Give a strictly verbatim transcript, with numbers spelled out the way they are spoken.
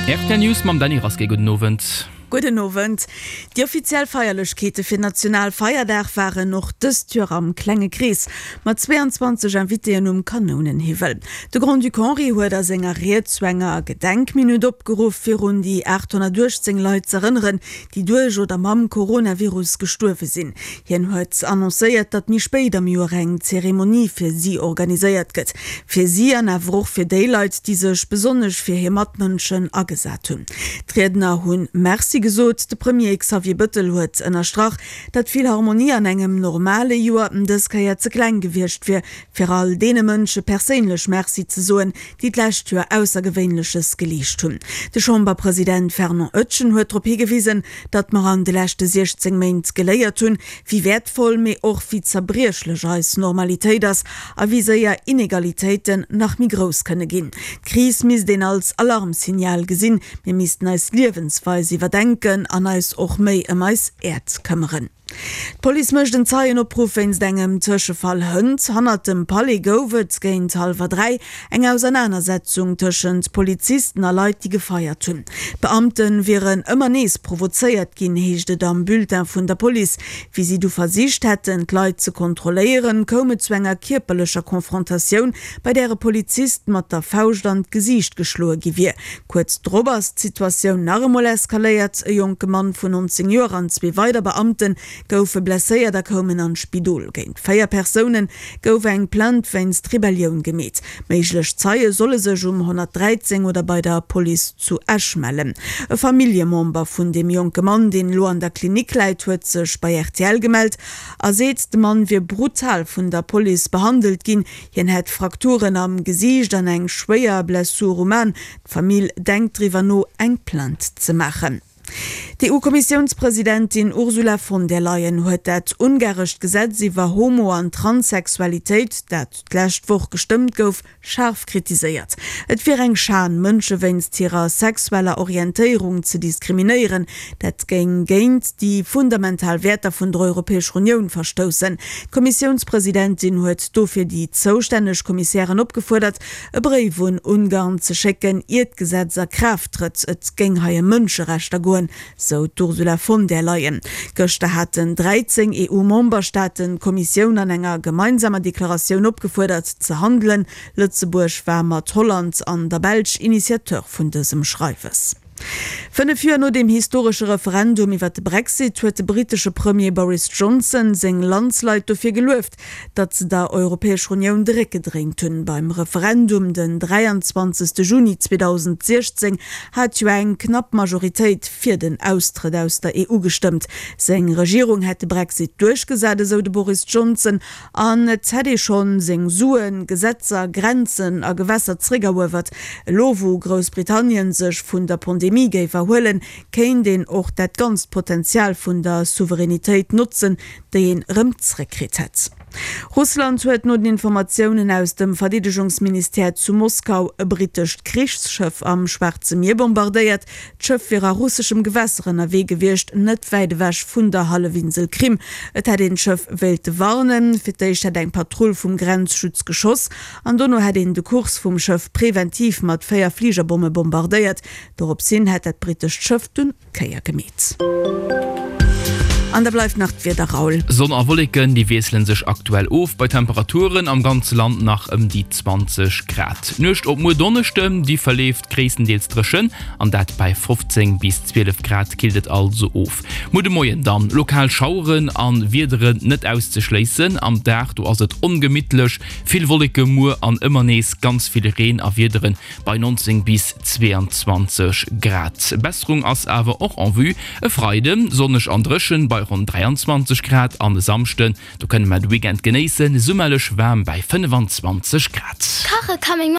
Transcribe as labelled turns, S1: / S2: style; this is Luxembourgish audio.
S1: R T L News mam Dany Rasqué. Gudden Owend.
S2: Gudden Owend. Déi offiziell Feierlechkeete fir Nationalfeierdag waren och dëst Joer am klenge Krees, mat zweeanzwanzeg Invitéen um Kanounenhiwwel. De Grand-Duc Henri huet a senger Ried zu enger Gedenkminutt opgeruff, fir un déi aathonnertuechtzéng Leit z'erënneren, déi duerch oder mam Coronavirus gestuerwe sinn. Hien huet annoncéiert, datt méi spéit am Joer eng Zeremonie fir si organiséiert gëtt. Fir si an awer och fir déi Leit, déi sech besonnesch fir hir Matmënschen agesat hunn. D'Riedner hunn Merci gesot. De Premier Xavier Bëttel huet ënnerstrach, datt d'Philharmonie an engem normale Joer dës Kéier ze kleng gewiescht wier, fir all deene Mënsche perséinlech Merci ze soen, déi d'lescht Joer Aussergewéinleches geleescht hunn. De Chamberpresident Fernand Etgen huet drop higewisen, datt mer an de leschte siechzéng Méint geléiert hunn, wéi wäertvoll, mee och wéi zerbriechlech eis Normalitéit ass a wéi séier Inegalitéiten nach méi grouss kënne ginn. D'Kris misst een als Alarmsignal gesinn, mir missten eis Liewensweis iwwerdenken an eis och méi ëm eis Äerd këmmeren. D'Police mécht en Zeienopruff wéinst engem Tëschefall hënt. Hannert dem Palais gouf et géint hallwer dräi eng Ausernanersetzung tëschent Polizisten a Leit, déi gefeiert hunn. D'Beamte wieren ëmmer nees provozéiert ginn, heescht et am Bulletin vun der Police. Wéi si du versicht hätten, d'Leit ze kontrolléieren, koum et zu enger kierperlecher Konfrontatioun, bei där e Polizist mat der Fauscht an d'Gesiicht geschloe gi wier. Kuerz drop ass d'Situatioun nach emol eskaléiert, E jonke Mann vun nonzéng Joer an zwee weider Beamte goufe blesséiert a koumen an d'Spidol. Géint véier Persoune gouf eng Plainte wéinst Rebellioun gemeet. Méiglech Zeie solle sech um honnertdräizéng oder bei der Police zu Esch mellen. E Familljemember vun deem jonke Mann, deen elo an der Klinik läit, huet sech bei R T L gemellt a seet, de Mann wier brutal vun der Police behandelt ginn. Hien hätt Frakturen am Gesiicht an eng schwéier Blessur um An. D'Famill denkt driwwer no, eng Plainte ze maachen. D'EU-Kommissiounspresidentin Ursula von der Leyen huet dat ungarescht Gesetz iwwer Homo an Transsexualitéit, dat d'lescht Woch gestëmmt gouf, schaarf kritiséiert. Et wier eng Schan, Mënsche wéinst hirer sexueller Orientéierung ze diskriminéieren. Dat géing géint déi fundamental Wäerter vun der Europäescher Unioun verstoussen. D'Kommissiounspresidentin huet dofir déi zoustänneg Kommissären opgefuerdert, e Bréif un Ungarn ze schécken, ier d'Gesetz a Kraaft trëtt. Et géing hei ëm Mënscherechter goen, sou d'Ursula von der Leyen. Gëschter haten dräizéng E U-Memberstaaten d'Kommissioun an enger gemeinsamer Deklaratioun opgefuerdert ze handelen. Lëtzebuerg war mat Holland an der Belsch Initiateur vun dësem Schreiwes. Fënnef Joer no dem historesche Referendum iwwer de Brexit huet de brittesche Premier Boris Johnson seng Landsleit dofir gelueft, datt se der Europäescher Unioun de Réck gedréint hunn. Beim Referendum den dräianzwanzegste Juni zweedausendsiechzéng hat jo eng knapp Majoritéit fir den Austrëtt aus der E U gestëmmt. Seng Regierung hätt de Brexit duerchgesat, esou de Boris Johnson, an et hätt ee schonn seng Suen, Gesetzer, Grenzen a Gewässer zeréckeruewert. Elo wou Groussbritannien sech vun der Pandemie géif erhuelen, kéint een och dat ganzt Potenzial vun der Souveränitéit notzen, déi een erëm zeréckkritt hätt. Russland huet no den Informatiounen aus dem Verdeedegungsministère zu Moskau e brittescht Krichsschëff am Schwaarze Mier bombardéiert. D'Schëff wier a russeschem Gewässer ënnerwee gewiescht, net wäit ewech vun der Hallefinsel Krim. Et hätt een d'Schëff wéilte warnen. Fir d'éischt hätt eng Patrull vum Grenzschutz geschoss an dono hätt een de Kurs vum Schëff preventiv mat véier Fligerbomme bombardéiert. Dorops hin hätt dat brittescht Schëff dunn d'Kéier gemeet. An da bleift nach d'Wieder, Raoul.
S1: Sonn a Wolleken, déi wiessele sech aktuell of, bei Temperaturen am ganze Land nach ëm déi zwanzeg Grad. D'Nuecht op muer Donneschden, déi verleeft gréisstendeels dréchen, an dat bei fofzéng bis zwielef Grad killt et also of. Muer de Moien dann lokal Schaueren a Wiederen net auszeschléissen. Am Dag do ass et ongemittlech, vill Wolleke muer an ëmmer nees ganz vill Reen a Wiederen bei neunzéng bis zweeanzwanzeg Grad. Besserung ass awer och en vue, e Freiden sonneg an dréchen bei ronn dräianzwanzeg Grad an e Samschden, do kënne mer de Weekend genéissen, summerlech waarm bei fënnefanzwanzeg Grad.
S3: Kache kann meng